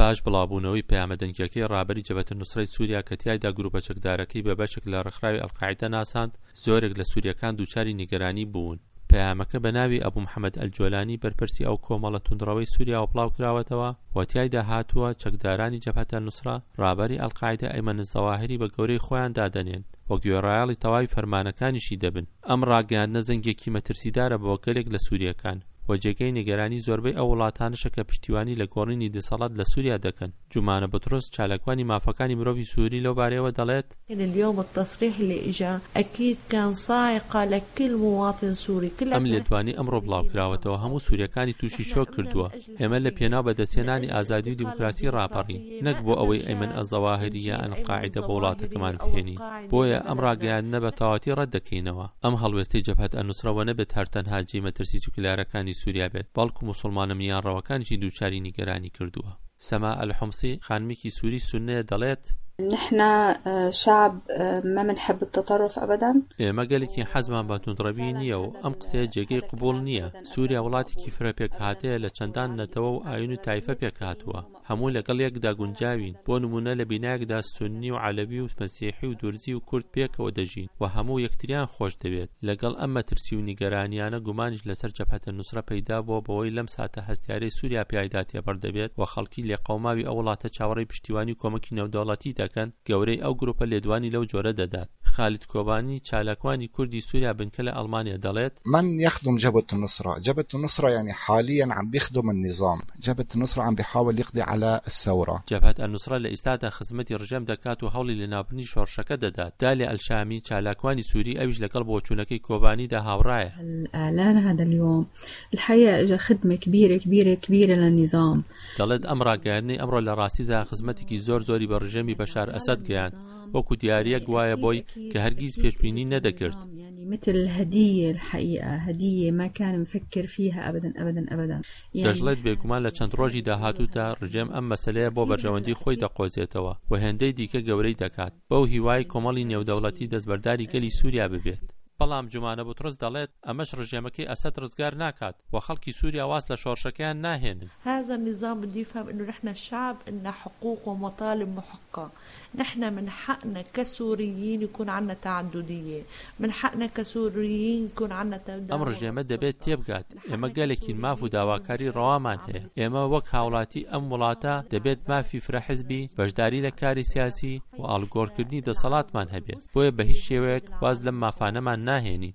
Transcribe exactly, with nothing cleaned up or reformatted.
پاش بڵاوبوونەوەی پەیامە دەنگییەکەی ڕابەری جەبهەت نوسرەی سوریا کە تیایدا گروپە چەکدارەکەی بە بەشێک لە ڕێکخراوی ئەلقاعیدە ناساند، زۆرێک لە سورییەکان دووچاری نیگەرانی بوون. پەیامەکە بە ناوی ئەبو محەمەد ئەلجۆلانی بەرپرسی ئەو کۆمەڵە توندڕەوەی سوریاوە بڵاوکراوەتەوە و تیایدا هاتووە چەکدارانی جەبهەت ئەلنوسرە ڕابەری ئەلقاعیدە ئەیمەن الزەواهیری بە گەورەی خۆیان دادەنێن و گوێڕایەڵی تەواوی فەرمانەکانیشی دەبن. ئەم ڕاگەیاندنە زەنگێکی مەترسیدارە بۆ گەلێک لە سورییەکان و جێگەی نیگەرانی زۆربەی ئەو وڵاتانەشە کە پشتیوانی لە گۆڕینی دەسەڵات لە سوریا دەکەن. جومانە بوترۆس چالاکوانی مافەکانی مرۆڤی سوری لەو بارەیەوە دەڵێت، اليوم التصريح اللي اجا اكيد كان صاعقة لكل مواطن سوري. ئەم لێدوانەی ئەمڕۆ بڵاوکراوەتەوە هەموو سورییەکانی تووشی شۆک کردووە. ئێمە لە پێناو بەدەستهێنانی ئازادی و دیموکراسی ڕاپەڕین، نەک بۆ ئەوەی ئەیمەن ئەلزەواهیری یان ئەلقاعیدە بۆ وڵاتەکەمان بهێنین. بۆیە ئەم ڕاگەیاندنە بە تەواوەتی ڕەت دەکەینەوە. ئەم هەڵوێستەی جەبهەت ئەلنوسرە وەنەبێت هەر تەنها جێی مەترسی سیکولارەکانی سوریا بێت، بەڵکو موسڵمانە میانڕەوەکانیشی دووچاری نیگەرانی کردووە. سەما ئەلحومسی خانمێکی سوری سوننەیە دەڵێت، نحن شعب ما بنحب التطرف أبدا. ئێمە گەلێکین حەزمان بە توندڕەوی نییە و ئەم قسەیە جێگەی قبوڵ نییە. سوریا وڵاتێکی فرە پێکهاتەیە لە چەندان نەتەوە و ئایین و تایفە پێکهاتووە، هەموو لەگەڵ یەکدا گونجاوین. بۆ نمونە لە بینایەکدا سوننی و عەلەوی و مەسیحی و دورزی و کورد پێکەوە دەژین و هەموو یەکتریان خۆش دەوێت. لەگەڵ ئەم مەترسی و نیگەرانیانە گومانیش لەسەر جەبهەت نوسرە پەیدا بووە بەوەی لەم ساتە هەستیارەی سوریا پیایدا تێپەڕ دەبێت و خەڵکی لێقەوماوی ئەو وڵاتە چاوەڕێی پشتیوانی و کۆمەکی نێودەوڵەتی دەکەن، گەورەی ئەو گروپە لێدوانی لەو جۆرە دەدات. خالید کۆبانی چالاکوانی کوردی سوریا بنکە لە ئەڵمانیا دەڵێت، من يخدم جبهة النصرة؟ جبهة النصرة يعني حاليا عم بيخدم النظام. جبهة النصرة عم بيحاول يقضي على الثورة. جەبهەت ئەلنوسرە لە ئیستادا خزمەتی ڕژێم دەکات و هەوڵی لەناوبردنی شۆڕشەکە دەدات. دالیا ئەلشامی چالاکوانی سوری ئەویش لەگەڵ بۆچوونەکەی کۆبانیدا هاوڕایە. الإعلان هذا اليوم الحقيقة اجى خدمة كبيرة كبيرة كبيرة للنظام. دەڵێت ئەم ڕاگەیاندنەی ئەمڕۆ لە ڕاستیدا خزمەتێکی زۆر زۆری بە ڕژێمی بەشار ئەسەد گەیاند، وەکو دیارییەک وایە بۆی کە هەرگیز پێشبینی نەدەکرد. يعني مثل هدية، الحقيقة هدية ما كان مفكر فيها أبدا أبدا أبدا. يعني دەشڵێت بێگومان لە چەند ڕۆژی داهاتوودا ڕژێم ئەم مەسەلەیە بۆ بەرژەوەندی خۆی دەقۆزێتەوە و هێندەی دیکە گەورەی دەکات، بەو هیوای کۆمەڵی نێودەوڵەتی دەستبەرداری گەلی سووریا ببێت. بەڵام جومانە بوترۆس دەڵێت ئەمەش ڕژێمەکەی ئەسەد ڕزگار ناکات و خەڵکی سووریا واز لە شۆڕشەکەیان ناهێنن. هذا النظام بده يفهم انه نحن الشعب لنا حقوق ومطالب محقة. نحن من حقنا كسوريين يكون عندنا تعددية، من حقنا كسوريين يكون عندنا ئەم ڕژێمە دەبێت تێبگات ئێمە گەلێکین ماف و داواکاری ڕەوامان هەیە. ئێمە وەک هاوڵاتی ئەم وڵاتە دەبێت مافی فرە حزبی، بەشداری لە کاری سیاسی و ئاڵوگۆڕکردنی دەسەڵاتمان هەبێت. بۆیە بە هیچ شێوەیەک واز لەم مافانەمان ناهێنین.